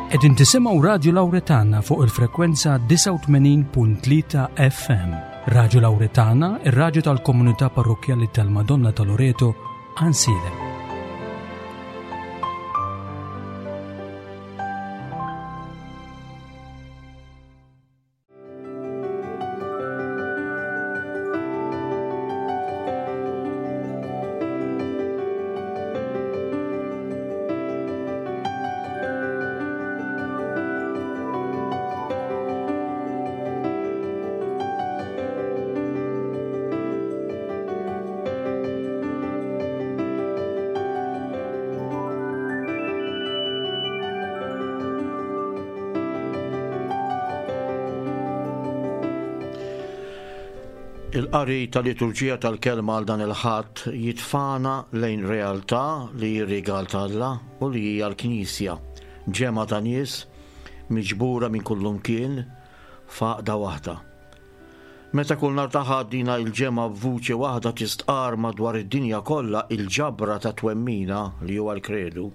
Qegħdin tisimgħu Radju Lawretana fuq il-frekwenza 89.3 FM. Radju Lawretana, ir-radju tal-komunità parrokkjali tal-Madonna ta' Loreto, Ansilem. Il-qari tal-liturġija tal-kelma għal dan il-Ħadd jitfagħna lejn realtà li hi rigal t'Alla u li hija l-Knisja, ġemgħa ta' nies miġbura minn kullumkien f'għaqda waħda. Meta kull nhar ta' Ħadd dina il-ġemgħa b'vuċi waħda tistqarr madwar id-dinja kollha il-ġabra ta' twemmina li huwa l-Kredu.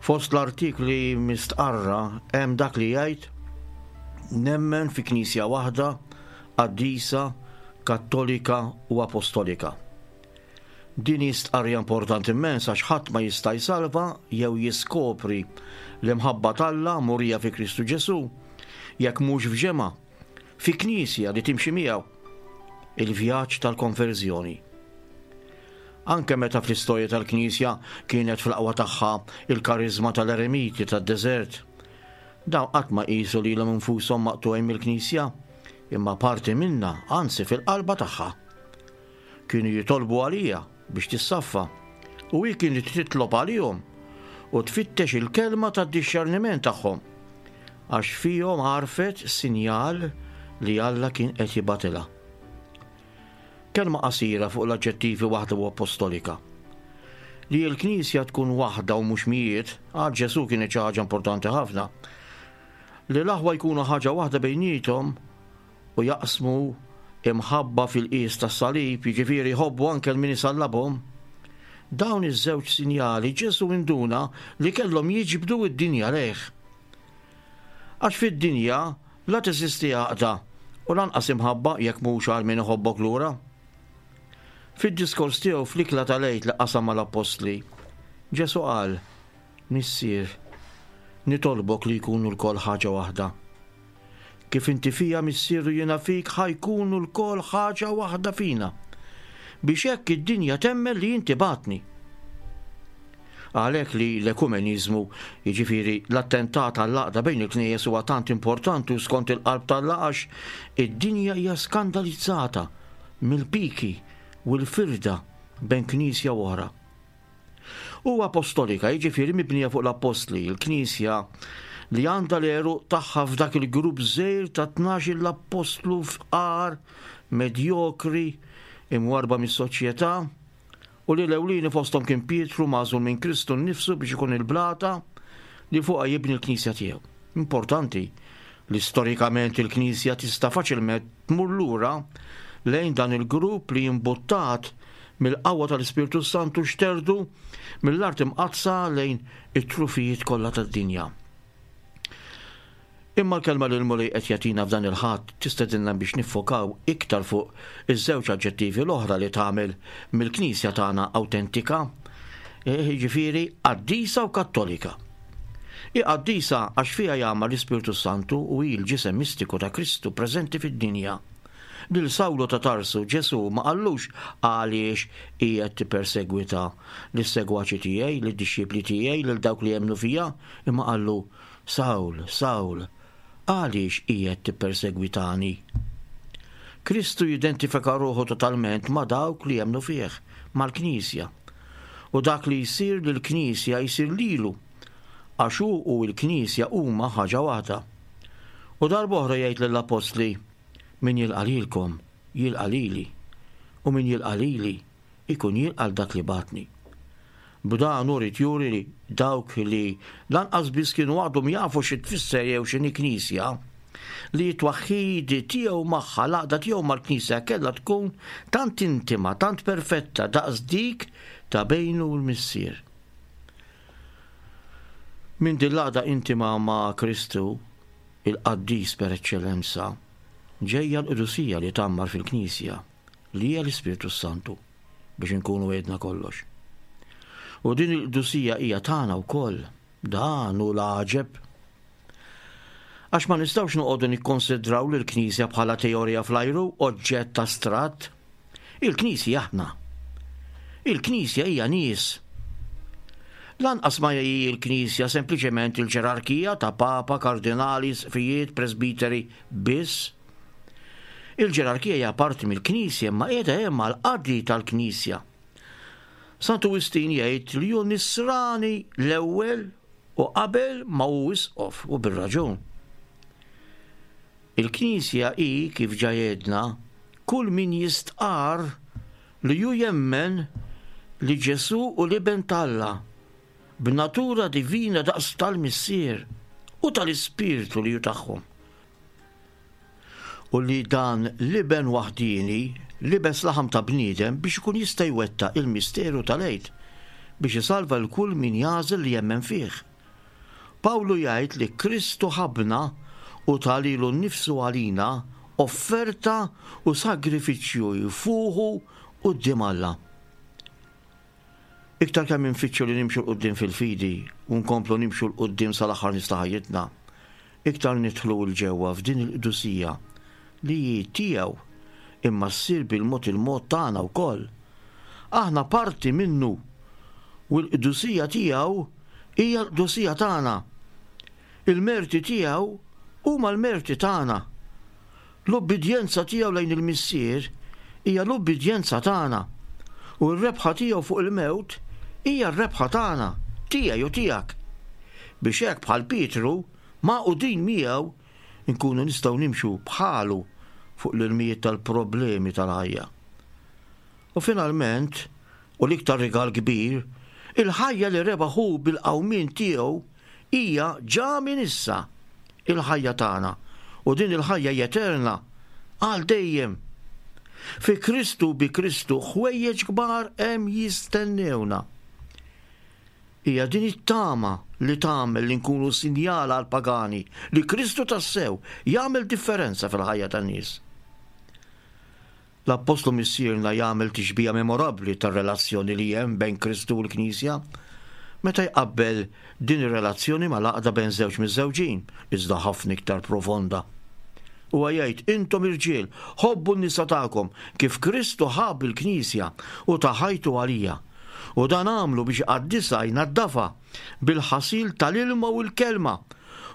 Fost l-artikli mistqarra hemm dak li jgħid Nemmen fi Knisja waħda, qaddisa, kattolika u apostolika. Din hi stqarrija importanti immens għax ħadd ma jista' jsalva jew jiskopri l-imħabba t'Alla murija fi Kristu Ġesù jekk mhux f'ġemgħa, fi knisja li timxi miegħu. Il-vjaġġ tal-konverżjoni. Anke meta fl-istorja tal-Knisja kienet fl-aqwa tagħha il-kariżma tal-eremiti tad-deżert, dawn qatt ma qisu lilhom infushom maqtugħin mill-Knisja, imma parti minnha, anzi fil-qalba tagħha. Kienu jitolbu għaliha biex tissaffa, u hi kienet titlob għalihom u tfittex il-kelma tad-dixxerniment tagħhom, għax fihom għarfet sinjal li Alla kien qed jibgħatilha. Kelma qasira fuq l-aġġettivi waħda u appostolika. Li l-Knisja tkun waħda u mhux mijiet, għal Ġesù kienet xi ħaġa importanti ħafna. Li l-aħwa jkunu ħaġa waħda bejniethom u jaqsmu imħabba fil-qies tas-salib, jiġifieri jħobbu anke 'l min isallabhom. Dawn iż-żewġ sinjali Ġesù induna li kellhom jiġbdu d-dinja lejh. Għax fid-dinja la teżisti għaqda u lanqas imħabba jekk mhux għal min iħobbok lura. Fid-diskors tiegħu fl-ikla tal-Għid li qasam mal-appostli, Ġesù qal, Missier, nitolbok li jkunu lkoll ħaġa waħda. Kif inti fija, Missier, u jiena fik, ħa jkunu lkoll ħaġa waħda fina, biex hekk id-dinja temmen li inti bgħattni. Għalhekk li l-ekumeniżmu, jiġifieri l-attentat għall-għaqda bejn il-knejjes huwa tant importanti u skont il-qalb t'Alla għax id-dinja hija skandalizzata mill-piki u l-firda bejn knisja u oħra. U apostolika, jiġifieri mibnija fuq l-appostli, il-Knisja li għandha l-għeruq tagħha f'dak il-grupp żgħir ta' tnax-il appostlu fqar, medjokri, imwarrba mis-soċjetà, u li l-ewlieni fosthom kien Pietru magħżul minn Kristu nnifsu biex ikun il-blata li fuqha jibni l-Knisja tiegħu. Importanti li storikament il-Knisja tista' faċilment tmur lura lejn dan il-grupp li imbuttat mill-qawwa tal-Ispirtu s-Santu xterdu mill-Art Imqaddsa lejn it-trufijiet kollha tad-dinja. Imma l-kelma li l-Mulej qed jagħtina f'dan il-Ħadd tistedinna biex niffokaw iktar fuq iż-żewġ aġġettivi l-oħra li tagħmel mill-Knisja tagħna awtentika, jiġifieri qaddisa u kattolika. Hi qaddisa għax fiha jgħammar l-Ispirtu s-Santu u hi l-ġisem mistiku ta' Kristu preżenti fid-dinja. Lil Sawlu ta' Tarsu Ġesù ma qallux għaliex qiegħed tippersegwita lis-segwaċi tiegħi, lid-dixxipli tiegħi, lil dawk li jemmnu fija, imma qallu, Sawl, Sawl, għaliex qiegħed tippersegwitani? Kristu jidentifika ruħu totalment ma' dawk li jemmnu fih, mal-Knisja. U dak li jsir lill-Knisja jsir lilu, għax hu u l-Knisja huma ħaġa waħda. U darb'oħra jgħid lill-appostli, Min jilqa' lilkom, jilqa' lili, u min jilqa' lili, ikun jilqa' 'l dak li bagħatni. B'dan hu ried juri li dawk li lanqas biss kienu għadhom jafu xi tfisser jew x'inhi Knisja, li t-twaħħid tiegħu magħha, l-għaqda tiegħu mal-Knisja kellha tkun tant intima, tant perfetta daqs dik ta' bejnu u l-Missier. Minn din l-għaqda intima ma' Kristu, il-qaddis per eċċellenza, ġejja l-qdusija li tgħammar fil-Knisja, li hija l-Ispirtu s-Santu, biex inkunu għedna kollox. U din il-qdusija hija tagħna wkoll, dan hu l-għaġeb. Għax ma nistgħux noqogħdu nikkonsidraw lill-Knisja bħala teorija fl-ajru, oġġett astratt. Il-Knisja aħna. Il-Knisja hija nies. Lanqas ma hi l-Knisja sempliċement il-ġerarkija ta' papa, kardinali, isqfijiet, presbiteri biss. Il-ġerarkija hija parti mill-Knisja imma qiegħda hemm għall-qadi tal-Knisja. Santu Wistin jgħid li hu nisrani l-ewwel u qabel ma hu isqof u bir-raġun. Il-Knisja hi, kif ġa għedna, kull min jistqarr li hu jemmen li Ġesù hu l-Iben t'Alla, b'natura divina daqs tal-Missier u tal-Ispirtu li hu tagħhom. U li dan l-Iben waħdieni libes laħam ta' bniedem biex ikun jista' jwettaq il-misteru tal-Għid, biex isalva 'l kull min jagħżel li jemmen fih. Pawlu jgħid li Kristu ħabbna u ta lilu nnifsu għalina offerta u sagrifiċċju jfuħu quddiem Alla. Iktar kemm infittxu li nimxu 'l quddiem fil-fidi u nkomplu nimxu 'l quddiem sal-aħħar nifs ta' ħajjitna, iktar nidħlu 'l ġewwa f'din il-qdusija li hi tiegħu imma ssir bil-mod il-mod tagħna wkoll. Aħna parti minnu u l-qdusija tiegħu hija l-qdusija tagħna. Il-merti tiegħu huma l-merti tagħna. L-ubbidjenza tiegħu lejn il-Missier hija l-ubbidjenza tagħna, u r-rebħa tiegħu fuq il-mewt hija r-rebħa tagħna, tiegħi u tiegħek. Biex hekk bħal Pietru, magħqudin miegħu, inkunu nistgħu nimxu bħalu fuq l-ilmijiet tal-problemi tal-ħajja. U finalment, u l-iktar rigal kbir, il-ħajja li rebaħ hu bil-qawmien tiegħu hija ġa minn issa il-ħajja tagħna, u din il-ħajja hija eterna, għal dejjem. Fi Kristu bi Kristu ħwejjeġ kbar hemm jistennewna. Hija din it-tama li tagħmel li nkunu sinjal għall-pagani li Kristu tassew jagħmel differenza fil-ħajja tan-nies. L-Appostlu Missierna jagħmel tixbiha memorabbli tar-relazzjoni li hemm bejn Kristu u l-Knisja meta jqabbel din ir-relazzjoni mal-għaqda bejn żewġ miżżewġin, iżda ħafna iktar profonda. Huwa jgħid, Intom irġiel, ħobbu n-nisa tagħkom kif Kristu ħabb il-Knisja u ta ħajtu għalija. U dan għamlu biex iqaddisha, jnaddafha, bil-ħasil tal-ilma u l-kelma,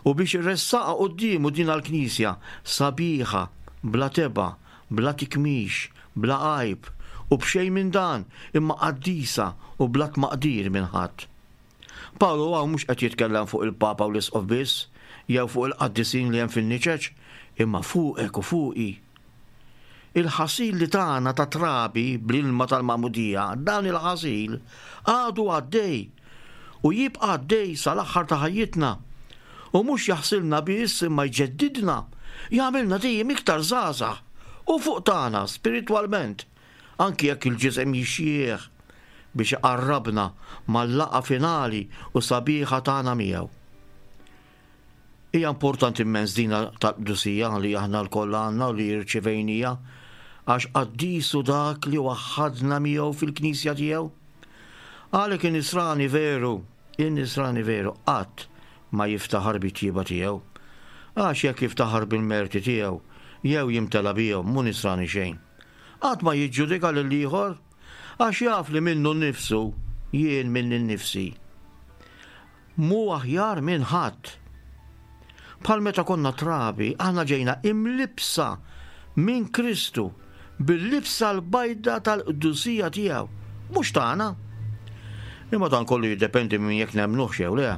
u biex iressaqha quddiemu din għall-Knisja, sabiħa, bla tebgħa, bla tikmix, bla għajb, u b'xejn minn dan, imma qaddisa u bla tmaqdir minn ħadd. Pawlu hawn mhux qed jitkellem fuq il-Papa u l-Isqof biss, jew fuq il-qaddisin li hemm fin-niċeċ, imma fuqek u fuqi. Il-ħasil li tana ta' trabi bl-ilma tal-magħmudija, dan il-ħasil għadu għaddej u jibqa' għaddej sal-aħħar ta' ħajjitna. U mhux jaħsilna biss imma jġeddidna, jagħmilna dejjem iktar żgħażagħ u fuq tagħna spiritwalment, anki jekk il-ġisem jixjieħ, biex iqarrabna mal-laqgħa finali u sabiħa tagħna miegħu. Hija importanti immens dina tal-qdusija li aħna lkoll għandna u li rċivejnija, għax qaddis hu dak li waħħadna miegħu fil-Knisja tiegħu. Għalhekk in-Nisrani veru, in-Nisrani veru qatt ma jiftaħar bit-tjieba tiegħu. Għax jekk jiftaħar bil-merti tiegħu, jew jimtela bihom, mhu Nisrani xejn. Qatt ma jiġġudika lill-ieħor, għax jaf li minnu nnifsu, jien minni nnifsi, mhu aħjar minn ħadd. Bħal meta konna trabi, aħna ġejna imlibbsa minn Kristu bil-libsa l-bajda tal-qdusija tiegħu, mhux tagħna. Imma dan kollu jiddependi minn jekk nemmnuhx jew le.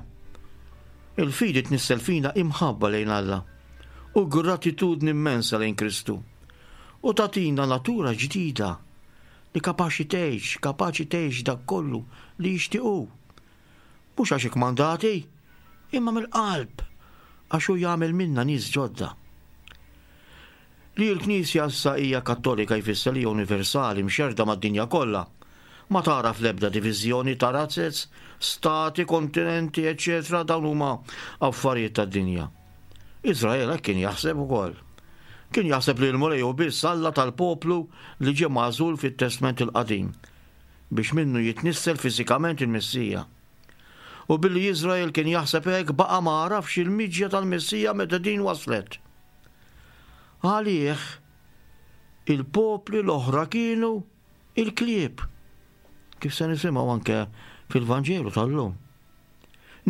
Il-fidi tnissel fina imħabba lejn Alla u gratitudni immensa lejn Kristu u tagħtina natura ġdida li kapaċi tgħix, kapaċi tgħix dak kollu li jixtieq hu. Mhux għax ikkmandati, imma mill-qalb, għax hu jagħmel minna nies ġodda. Li l-Knisja issa hija Kattolika jfisser li hija universali, mxerrda mad-dinja kollha. Ma tagħraf l-ebda diviżjoni ta' razzez, stati, kontinenti, eċċetera Dawn huma affarijiet tad-dinja. Iżrael hekk kien jaħseb ukoll. Kien jaħseb li l-Mulej hu biss Alla tal-poplu li ġie magħżul fit-Testment il-Qadim biex minnu jitnissel fiżikament il-Messija. U billi Iżrael kien jaħseb hekk baqa' ma għarafx il-miġja tal-Messija meta din waslet. Għalih, il-popli l-oħra kienu il-klieb, kif se nisimgħu anke fil-Vanġelu tal-lum.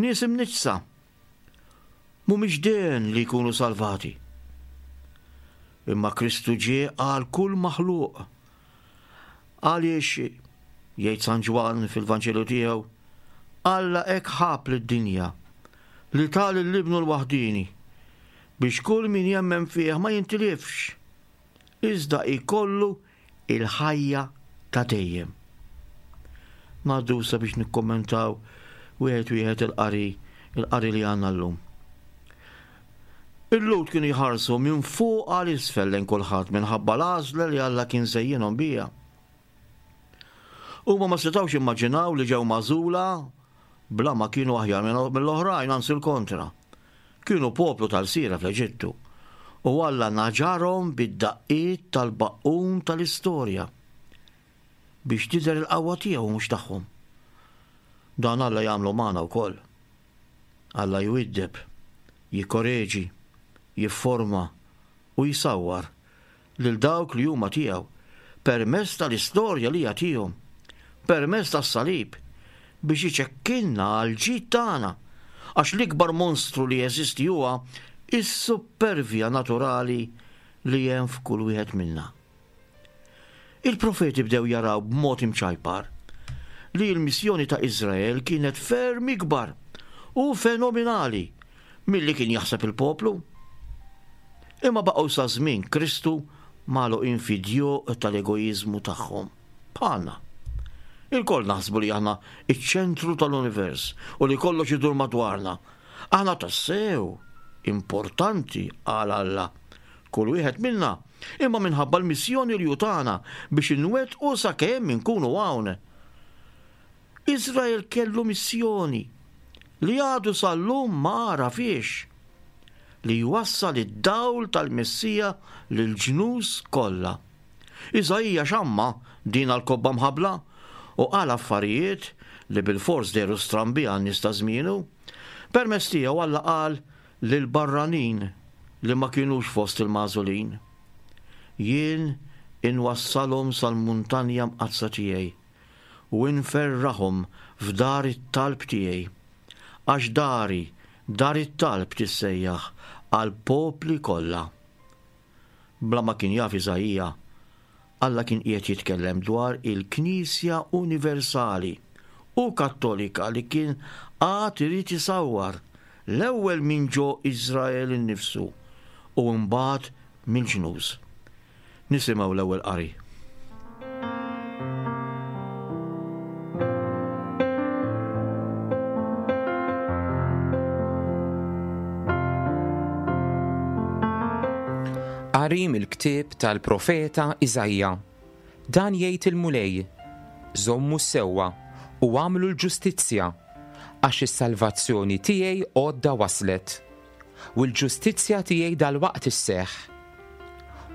Nies imniġġsa, mhumiex den li jkunu salvati. Imma Kristu ġie għal kull maħluq. Għaliex, jgħid San Ġwann fil-Vanġelu tiegħu, Alla hekk ħab lid-dinja li ta lil Ibnu l-waħdieni biex kull min jemmen fih ma jintilifx, iżda jkollu il-ħajja ta' dejjem. Ngħaddu issa biex nikkommentaw wieħed wieħed il-qari il-qari li għandna llum. Il-Lhud kienu jħarsu minn fuq għal isfel lejn kulħadd minħabba l-għażla li Alla kien żejjinhom biha. Huma ma setgħux jimmaġinaw li ġew magħżula bla ma kienu aħjar mill-oħrajn, anzi l-kontra. Kienu poplu tal-lsiera fl-Eġittu, u Alla naġarhom bid-daqqiet tal-baqqun tal-istorja biex tidher il-qawwa tiegħu u mhux tagħhom. Dan Alla jagħmlu magħna wkoll. Alla jwiddeb, jikkoreġi, jifforma u jsawwar lil dawk li huma tiegħu permezz tal-istorja li jagħtihom, permezz tas-salib, biex iċekkinna għall-ġid tagħna, għax l-ikbar monstru li jeżisti huwa s-suppervja naturali li hemm f'kull wieħed minna. Il-profeti bdew jaraw b'mod imċajpar li l-missjoni ta' Iżrael kienet ferm ikbar u fenominali milli kien jaħseb il-poplu. Imma baqgħu sa żmien Kristu magħluqin fid-djuq tal-egoiżmu tagħhom. Bħalna. Ilkoll naħsbu li aħna iċ-ċentru tal-univers u li kollox idur madwarna. Aħna tassew importanti għal Alla. Kull wieħed minna, imma minħabba l-missjoni li hu tana biex inwettqu sakemm inkunu hawn. Iżrael kellu missjoni li għadu sal-lum ma għarafhiex, li jwassal id-dawl tal-Messija lill-ġnus kollha. Iżaija xamma din għall-kobba mħabbla u qal affarijiet li bilfors dehru strambi għan-nies ta' żmienu. Permezz tiegħu Alla qal lill-barranin li ma kinux fost il-magħżulin, Jien inwassalhom sal-muntanja mqaddsa tiegħi u inferraħhom f'dar it-talb tiegħi, għax dari dar it-talb tissejjaħ għall-popli kollha. Bla ma kien jaf Iżaija, Alla kien qiegħed jitkellem dwar il-Knisja universali u Kattolika li kien għad irid isawwar, l-ewwel minn ġo Iżrael innifsu u mbagħad mill-ġnus. Nisimgħu l-ewwel qari. Qari mill-ktieb tal-profeta Iżaija. Dan jgħid il-Mulej, Żommu s-sewwa u agħmlu l-ġustizzja, għax is-salvazzjoni tiegħi għodda waslet. U l-ġustizzja tiegħi dalwaqt isseħħ.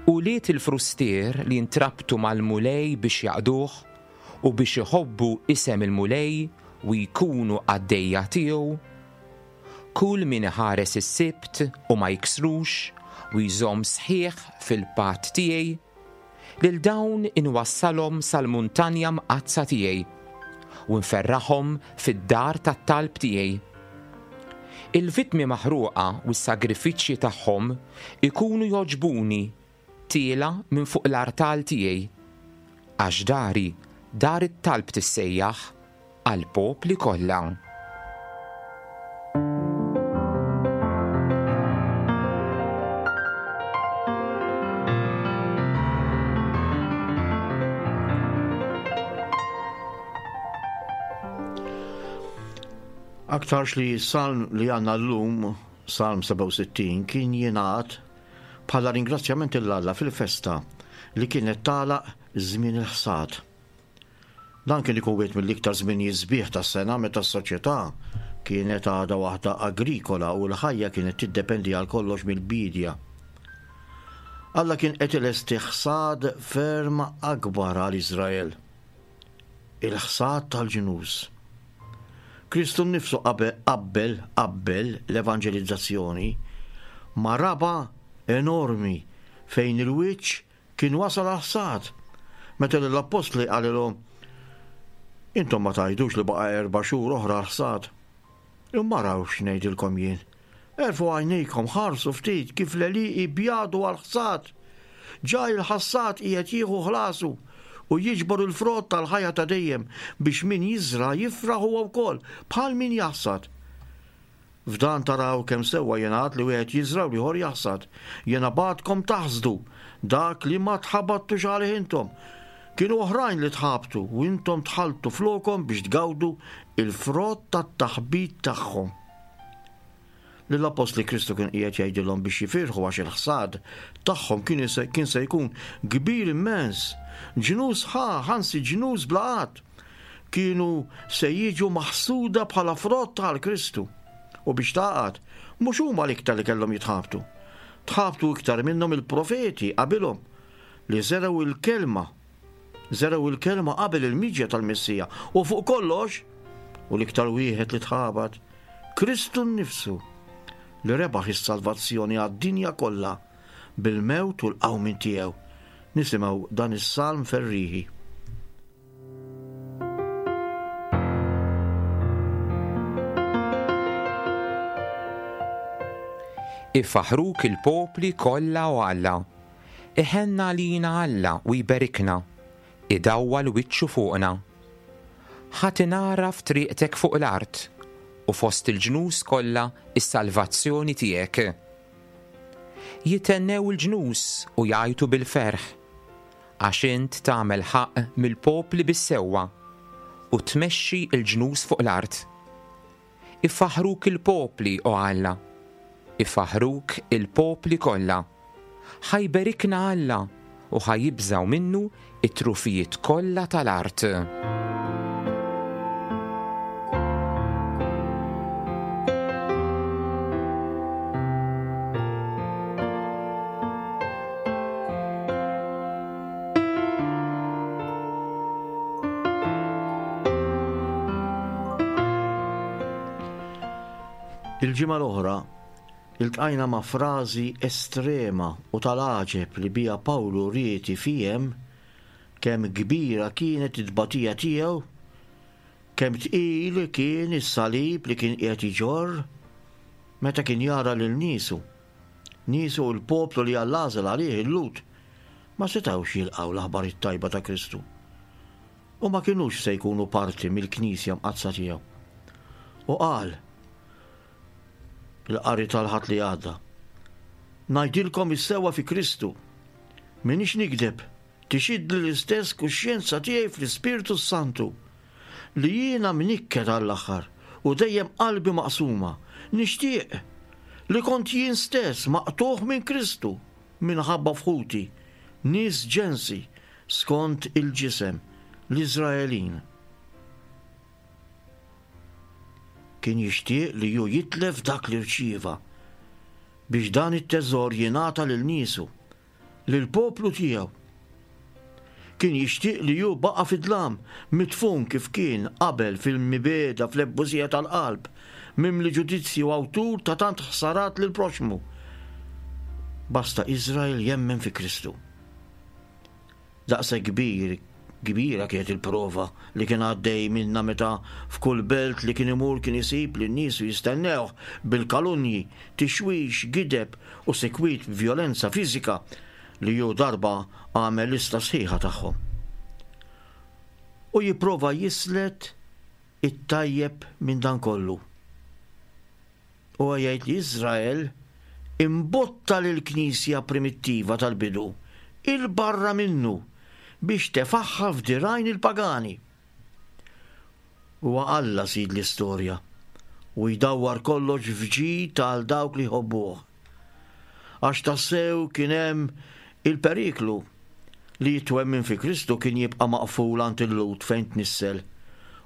Ulied il-frustier li ntrabtu mal-Mulej biex jaqduh u biex iħobbu isem il-Mulej u jkunu qaddejja tiegħu, kull min iħares is-Sibt u ma jiksrux u jżomm sħiħ fil-patt tiegħi, Lil dawn inwassalhom sal-muntanja mqaddsa tiegħi u nferraħhom fid-dar tat-talb tiegħi. Il-vittmi maħruqa u s-sagrifiċċji tagħhom ikunu jogħġbuni tiela' minn fuq l-artal tiegħi, għax dari dar it-talb tissejjaħ għall-popli kollha. Aktarx li s-salm li għandna llum, Salm 67, kien jingħad bħala ringrazzjament 'l Alla fil-festa li kienet tagħlaq żmien il-ħsad. Dan kien ikun wieħed mill-iktar żminijiet sbieħ tas-sena meta s-soċjetà kienet għadha waħda agrikola u l-ħajja kienet tiddependi għal kollox mill-biedja. Alla kien qed ilesti ħsad ferm akbar għal Iżrael. Il-ħsad tal-ġnus. Kristu nnifsu qabbel qabbel l-evanġelizzazzjoni ma' raba' enormi fejn il-wiċċ Kien wasal għall-ħsad, meta lill-appostli qalilhom, Intom ma tgħidux li baqa' erba' xhur oħra għall-ħsad. Imma araw x'ngħidilkom jien. Erfgħu għajnejkom, ħarsu ftit kif l-għelieqi bjadu għall-ħsad. Ġa il-ħassad qiegħed jieħu ħlasu u jiġbor il-frott tal-ħajja ta' dejjem biex min jiżra' jifraħ huwa wkoll bħal min jaħsad. F'dan taraw kemm sewwa jingħad li wieħed jiżra' u l-ieħor jaħsad. Jiena bgħattkom taħsdu dak li ma tħabattux għalih intom. Kienu oħrajn li tħabtu u intom dħaltu flokhom biex tgawdu l-frott tat-taħbit tagħhom. Lill-appostli Kristu kien qiegħed jgħidilhom biex jifirħu għax il-ħsad tagħhom kien se jkun kbir immens. Ġnus sħaħ, anzi ġnus bla għadd. kienu se jiġu maħsuda bħala frott għal Kristu. U biex tagħqad, mhux huma l-iktar li kellhom jitħabtu. Tħabtu iktar minnhom il-profeti qabilhom li żergħu il-kelma żergħu il-kelma qabel il-miġja tal-Messija u fuq kollox u l-iktar wieħed li tħabat Kristu nnifsu li rebaħ is-salvazzjoni għad-dinja kollha bil-mewt u l-qawmien tiegħu. Nisimgħu dan is-salm ferrieħi. Ifaħruk il-popli kollha o Alla. Iħenn għalina Alla u jberikna, idawwal wiċċu fuqna. Ħa tingħaraf triqtek fuq l-art, u fost il-ġnus kollha s-salvazzjoni tiegħek. Jithennew il-ġnus u jgħajtu bil-ferħ, Għax int tagħmel ħaqq mill-popli bis-sewwa, u tmexxi l-ġnus fuq l-art. Ifaħħruk il-popli, o Alla, ifaħħruk il-popli kollha. Ħa jberikna Alla, u ħa jibżgħu minnu t-trufijiet kollha tal-art. Il-ġimgħa l-oħra iltqajna ma' frażi estrema u tal-għaġeb li biha Pawlu ried ifiehem kemm kbira kienet it-tbatija tiegħu, kemm tqil kien is-salib li kien qiegħed iġorr meta kien jara lil niesu. Niesu u l-poplu li Alla għażel għalih, il-Lhud, ma setgħux jilqgħu l-aħbar it-tajba ta' Kristu u ma kinux se jkunu parti mill-Knisja Mqaddsa tiegħu. U qal, il-qari tal-Ħadd li għadda, Ngħidilkom is-sewwa fi Kristu, m'iniex nigdeb, tixhidli l-istess kuxjenza tiegħi fl-Ispirtu s-Santu, li jiena mnikket għall-aħħar u dejjem qalbi maqsuma, nixtieq li kont jien stess maqtugħ minn Kristu minħabba f'ħuti, nies ġensi skont il-ġisem, l-Iżraelin. Kien jixtieq li hu jitlef dak li rċieva, biex dan it-teżor jingħata lil niesu. lill-poplu tiegħu. Kien jixtieq li hu baqa' fid-dlam, midfun kif kien qabel fil-mibegħda fl-ebusija tal-qalb, mimli ġudizzji u awtur ta' tant ħsarat lill-proxxmu. Basta Iżrael jemmen fi Kristu. Daqshekk kbir, kbira kienet il-prova li kien għaddej minnha meta f'kull belt li kien imur kien isib lin niesu jistennewh bil-kalunji, tixwix, gideb u sikwit b'vjolenza fiżika li hu darba għamel lista sħiħa tagħhom. U jipprova jislet it-tajjeb minn dan kollu. Huwa jgħid li Iżrael imbotta lill-Knisja primittiva tal-bidu 'il barra minnu biex tefagħha f'dirgħajn il-pagani. Huwa Alla sid l-istorja u jdawwar kollox f'ġid għal dawk li jħobbuh. Għax tassew kien hemm il-periklu. li t-twemmin fi Kristu kien jibqa' maqful għand il-Lhud fejn tnissel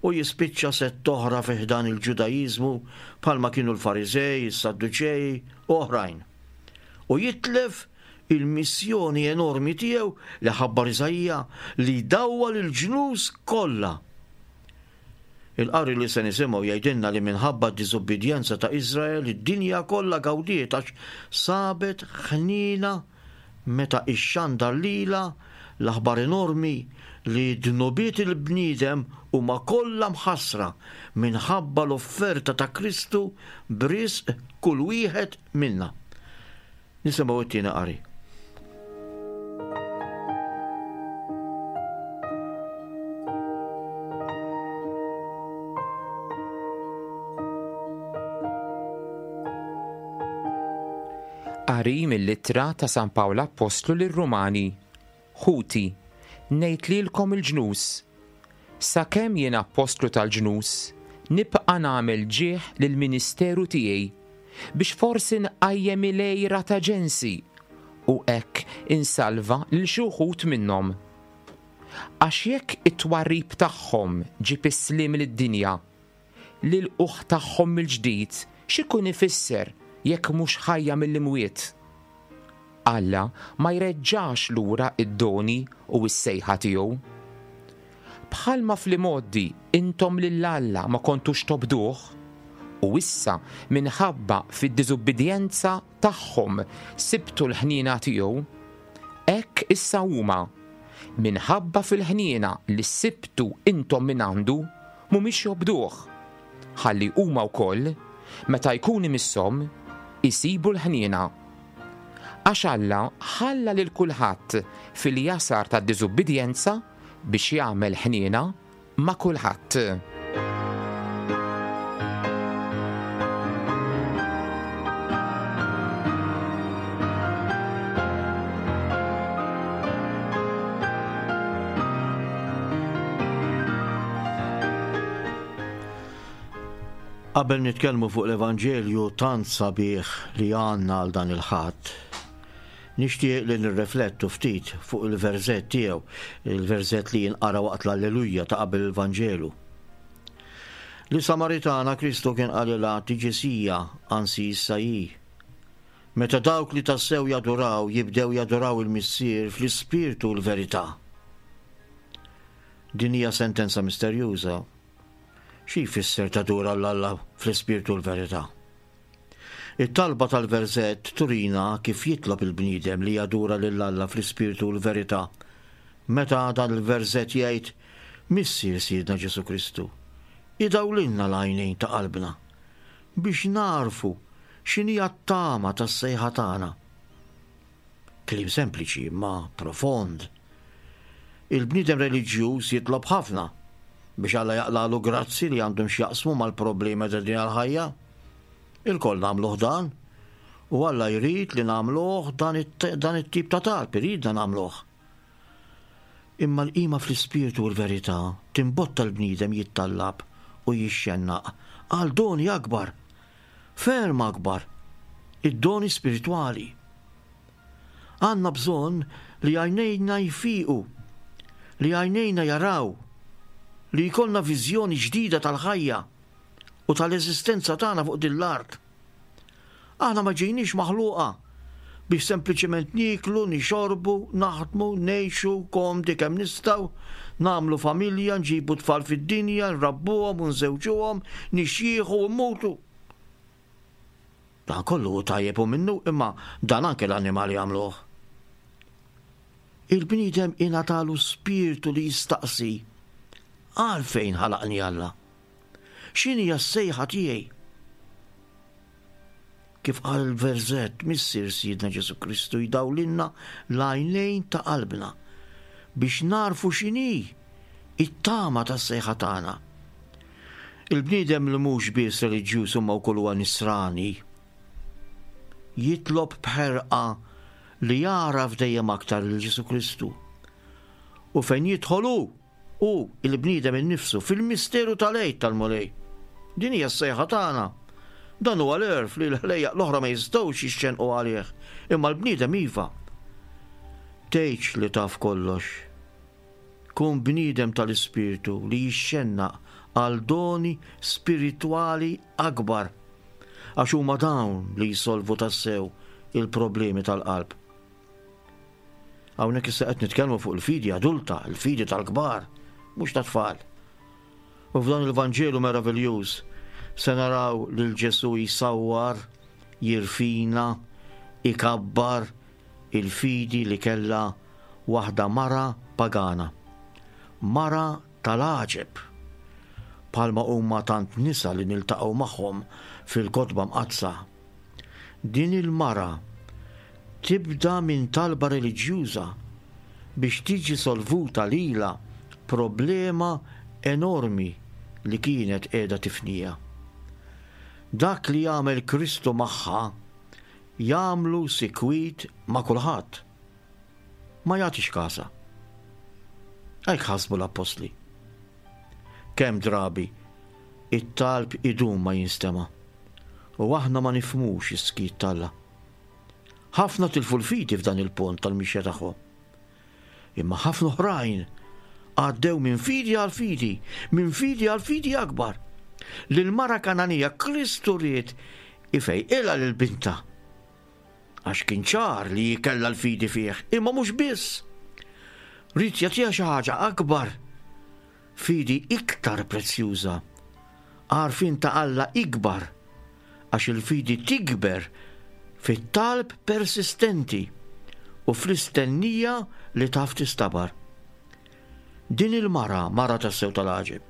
u jispiċċa sett oħra fi ħdan il-Ġudaiżmu bħalma kienu l-Fariżej, is-Sadduċej u oħrajn. U jitlef il-missjoni enormi tiegħu li ħabbar Iżaija li jdawwal il-ġnus kollha. Il-qari li se nisimgħu jgħidilna li minħabba d-diżubbidjenza ta' Iżrael id-dinja kollha gawdiet għax sabet ħniena meta ixxandar lilha l-aħbar enormi li dnubiet il-bniedem huma kollha mħassra minħabba l-offerta ta' Kristu b'risq kull wieħed minna. Nisimgħu t-tieni qari. Qari mill-Ittra ta' San Pawl Appostlu lir-Rumani. Ħuti, ngħid lilkom il-ġnus, sakemm jien appostlu tal-ġnus, nibqa' nagħmel ġieħ lill-ministeru tiegħi, biex forsi nqajjem il-għira ta' ġensi u hekk insalva lil xi wħud minnhom. Għax jekk it-twarrib tagħhom ġieb is-sliem lid-dinja, L-ilqugħ tagħhom mill-ġdid x'ikun ifisser jekk mhux ħajja mill-imwiet? Alla ma jreġġax lura d-doni u s-sejħa tiegħu. Bħalma fl-imgħoddi intom lil Alla ma kontux tobduh, u issa minħabba fid-diżubbidjenza tagħhom sibtu l-ħniena tiegħu, hekk issa huma, minħabba fil-ħniena li sibtu intom mingħandu, mhumiex jobduh, ħalli huma wkoll, meta jkun imisshom, isibu l-ħniena. Għax Alla ħalla lil kulħadd fil-jasar tad-diżubbidjenza biex jagħmel ħniena ma' kulħadd. Qabel nitkellmu fuq l-Evanġelju tant sabiħ li għandna għal dan il-Ħadd, Nixtieq li nirreflettu ftit fuq il-verżett tiegħu, il-verżett li jinqara waqt l-Alleluja ta' qabel il-Vanġelu. Lis-Samaritana Kristu kien qalilha tiġi sija, anzi issa hi. Meta dawk li tassew jaduraw jibdew jaduraw il-Missier fl-ispirtu u l-verità. Din hija sentenza misterjuża. Xi jfisser tadura 'l Alla fl-ispirtu u l-verità? It-talba tal-verżett turina kif jitlob il-bniedem li jadura lil Alla fl-ispirtu u l-verità. Meta dan il-verżett jgħid, Missier Sidna Ġesù Kristu, idawlilna l-għajnejn ta' qalbna biex nagħrfu x'inhija t-tama tas-sejħa tagħna. Kliem sempliċi imma profond. Il-bniedem reliġjuż jitlob ħafna biex Alla jaqlagħlu grazzi li għandhom x'jaqsmu mal-problemi ta' din il-ħajja. Ilkoll nagħmluh dan, u Alla jrid li nagħmluh dan it-tip ta' talb, iridna nagħmluh. Imma l-qima fl-ispirtu u l-verità timbotta l-bniedem jittallab u jixxennaq għal doni akbar, ferm akbar, id-doni spiritwali. Għandna bżonn li għajnejna jfiqu, li għajnejna jaraw, li jkollna viżjoni ġdida tal-ħajja u tal-eżistenza tagħna fuq din l-art. Aħna ma ġejniex maħluqa biex sempliċement nieklu, nixorbu, naħdmu, ngħixu komdi kemm nistgħu, nagħmlu familja, nġibu tfal fid-dinja, nrabbuhom u nżewġuhom, nixjieħu u mmutu. Dan kollu hu tajjeb u minnu imma dan anke l-annimali jagħmluh. Il-bniedem ingħatalu spirtu li jistaqsi għalfejn ħalaqni Alla? X'inhija s-sejħa tiegħi? Kif qal il-verżett, Missier Sidna Ġesù Kristu jdawlilna l-għajnejn ta' qalbna biex nagħrfu x'inhi it-tama tas-sejħa tagħna. Il-bniedem li mhux biss reliġjuż imma wkoll huwa nisrani jitlob b'ħerqa li jagħraf dejjem aktar lil Ġesù Kristu. U fejn jidħol hu, Hu, il-bniedem innifsu, fil-misteru tal-Għid tal-Mulej. Din hija s-sejħa tagħna. Dan huwa l-għerf li l-ħlejjaq l-oħra ma jistgħux jixxennqu għalih, imma l-bniedem iva. Tgħidx li taf kollox. Kun bniedem tal-Ispirtu li jixxennaq għal doni spiritwali akbar, għax huma dawn li jsolvu tassew il-problemi tal-qalb. Hawnhekk issa qed nitkellmu fuq il-fidi adulta, il-fidi tal-kbar, mhux tat-tfal. U f'dan il-Vanġelu meraviljuż se naraw lil Ġesù jsawwar, jirfina, ikabbar il-fidi li kellha waħda mara pagana. Mara tal-għaġeb! Bħalma huma tant nisa li niltaqgħu magħhom fil-Kotba Mqaddsa. Din il-mara tibda minn talba reliġjuża biex tiġi solvuta lilha problema enormi li kienet qiegħda tifniha. Dak li jagħmel Kristu magħha jagħmlu sikwit ma' kulħadd. Ma jagħtix kasha. Hekk ħasbu l-appostli. Kemm drabi it-talb idum ma jinstema' u aħna ma nifhmux is-skiet t'Alla. Ħafna tilfu l-fidi f'dan il-punt tal-mixja tagħhom. Imma ħafna oħrajn għaddew minn fidi għal fidi, minn fidi għal fidi akbar. Lil mara Kananija Kristu ried ifejqilha lil binta. Għax kien ċar li hi kellha l-fidi fih, imma mhux biss. Ried jagħtiha xi ħaġa akbar, fidi iktar prezzjuża, għarfien ta' Alla ikbar, għax il-fidi tikber fit-talb persistenti u fl-istennija li taf tistabar. Din il-mara, mara tassew tal-għaġeb,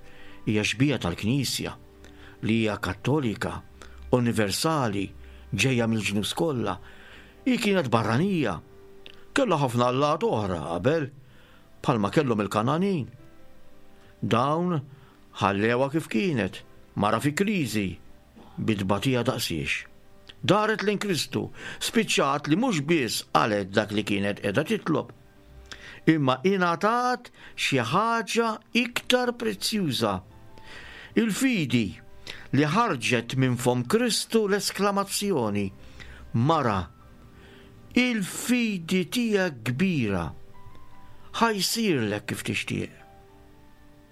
hija xbieha tal-Knisja, li hija Kattolika, universali, ġejja mill-ġnus kollha. Hi kienet barranija. Kellha ħafna allat oħra qabel, bħalma kellhom il-Kangħanin. Dawn ħallewha kif kienet, mara fi kriżi, bi tbatija daqsiex. Daret lejn Kristu, spiċċat li mhux biss qalet dak li kienet qiegħda titlob, imma ingħatat xi ħaġa iktar prezzjuża. Il-fidi li ħarġet minn fomm Kristu l-esklamazzjoni, Mara, il-fidi tiegħek kbira, ħa jsirlek kif tixtieq.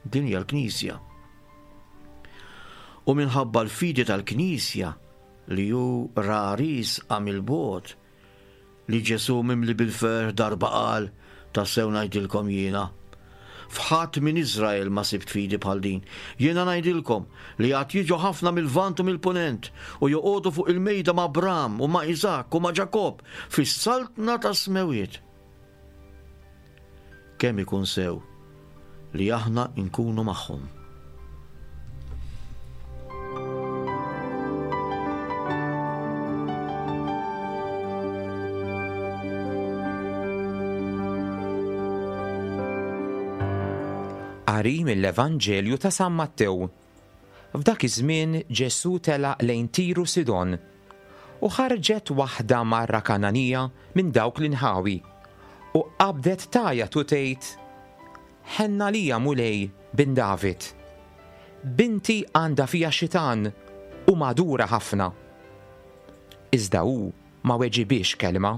Din hija l-Knisja. U minħabba l-fidi tal-Knisja li hu ra riesqa mill-bogħod, li Ġesù mimli bil-ferħ darba qal, Tassew ngħidilkom jiena, f'ħadd minn Iżrael ma sibt fidi bħal din. Jiena ngħidilkom li għad jiġu ħafna mil-Lvant u mill-Punent u joqogħdu fuq il-mejda ma' Abram u ma' Iżakk u ma' Ġakobb fis-saltna tas-smewwiet. Kemm ikun sew li aħna nkunu magħhom. Qari mill-Evanġelju ta' San Mattew. F'dak iż-żmien Ġesù telaq lejn Tir u Sidon. U ħarġet waħda mara Kangħanija minn dawk l-inħawi, u qabdet tgħajjat u tgħid, Ħenn għalija, Mulej, bin David. Binti għandha fiha xitan u magħdura ħafna. Iżda hu ma weġibhiex kelma.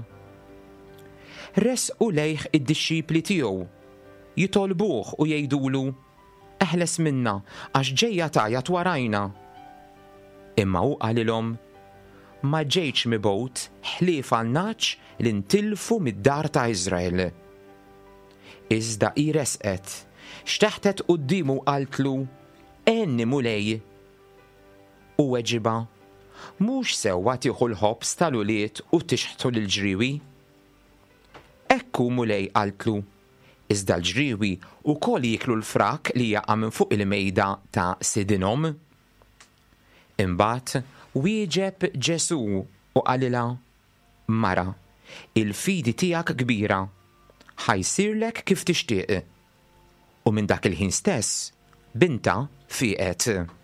Resqu lejh id-dixxipli tiegħu, jitolbuh u jgħidulu, Eħles minna, għax ġejja tgħajjat warajna. Imma hu qalilhom, Ma ġejtx mibgħut ħlief għan-nagħaġ li ntilfu mid-dar ta' Iżrael. Iżda hi resqet, xteħtet quddiemu u qaltlu, Għenni, Mulej! Hu weġibha, Mhux sewwa tieħu l-ħobż tal-ulied u tixħtu lill-ġriewi. Hekk hu, Mulej, qaltlu, Iżda l-ġriewi wkoll jieklu l-frak li jaqa' minn fuq il-mejda ta' sidinhom. Imbagħad wieġeb Ġesù u qalilha, Mara, il-fidi tiegħek kbira, ħa jsirlek kif tixtieq. U minn dak il-ħin stess, bintha fieqet.